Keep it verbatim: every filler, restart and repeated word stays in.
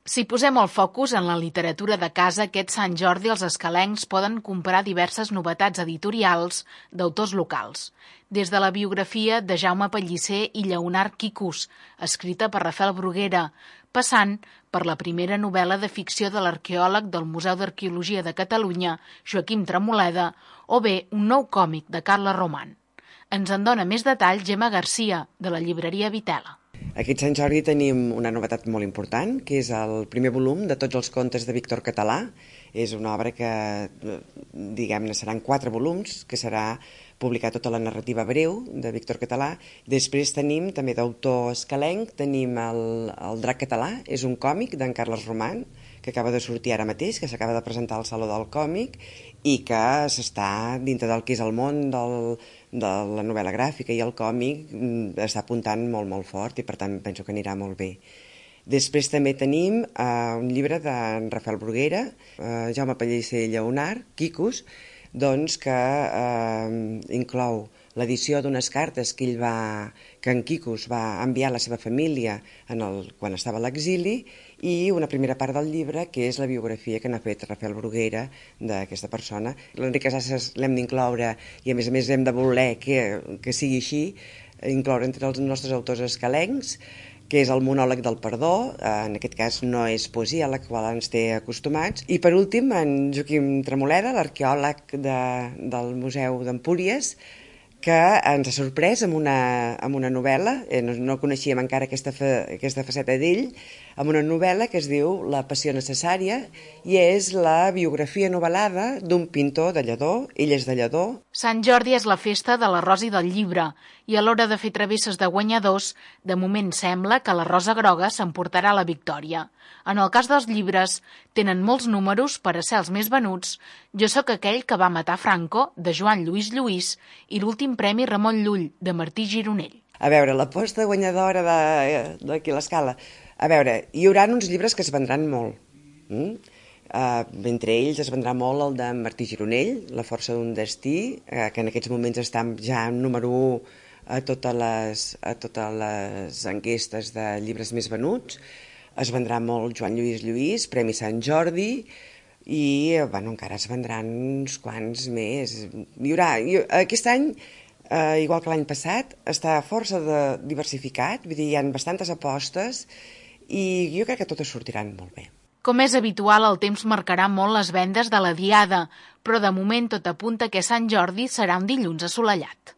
Si posem el focus en la literatura de casa, aquest Sant Jordi els escalencs poden comprar diverses novetats editorials d'autors locals. Des de la biografia de Jaume Pellicer i Lleonard Quicus, escrita per Rafael Bruguera, passant per la primera novel·la de ficció de l'arqueòleg del Museu d'Arqueologia de Catalunya, Joaquim Tremoleda, o bé un nou còmic de Carla Roman. Ens en dona més detall Gemma Garcia, de la llibreria Vitela. Aquest Sant Jordi tenim una novetat molt important, que és el primer volum de tots els contes de Víctor Català. És una obra que, diguem-ne, seran quatre volums, que serà publicar tota la narrativa breu de Víctor Català. Després tenim, també d'autor escalenc, tenim el, el Drac Català, és un còmic d'en Carles Roman, que acaba de sortir ara mateix, que s'acaba de presentar al Saló del Còmic i que s'està dintre del que és el món del, de la novel·la gràfica i el còmic, està apuntant molt, molt fort i per tant penso que anirà molt bé. Després també tenim uh, un llibre d'en Rafael Bruguera, uh, Jaume Pellicer i Lleonard Quicus, doncs que uh, inclou l'edició d'unes cartes que ell va, que en Quicus va enviar a la seva família en el, quan estava a l'exili, i una primera part del llibre que és la biografia que n'ha fet Rafael Bruguera d'aquesta persona. L'Enric Casasses l'hem d'incloure i a més a més hem de voler que, que sigui així, incloure entre els nostres autors escalencs, que és el monòleg del perdó, en aquest cas no és poesia a la qual ens té acostumats. I per últim, en Joaquim Tremoleda, l'arqueòleg de, del Museu d'Empúries, que ens ha sorprès amb una, amb una novel·la, eh, no, no coneixíem encara aquesta, fa, aquesta faceta d'ell, amb una novel·la que es diu La passió necessària i és la biografia novel·lada d'un pintor de Lledó, ell és de Lledó. Sant Jordi és la festa de l'arròs i del llibre i a l'hora de fer travesses de guanyadors, de moment sembla que la Rosa Groga s'emportarà la victòria. En el cas dels llibres, tenen molts números per a ser els més venuts. Jo sóc aquell que va matar Franco, de Joan Lluís Lluís, i l'últim premi Ramon Llull, de Martí Gironell. A veure, l'aposta guanyadora d'aquí a l'Escala. A veure, hi haurà uns llibres que es vendran molt. Mm? Uh, entre ells es vendrà molt el de Martí Gironell, La força d'un destí, uh, que en aquests moments està ja en número u a totes les, a totes les enquestes de llibres més venuts. Es vendrà molt Joan Lluís Lluís, Premi Sant Jordi, i bueno, encara es vendran uns quants més. Hi haurà, aquest any, eh, igual que l'any passat, està força de diversificat, vull dir, hi ha bastantes apostes i jo crec que totes sortiran molt bé. Com és habitual, el temps marcarà molt les vendes de la Diada, però de moment tot apunta que Sant Jordi serà un dilluns assolellat.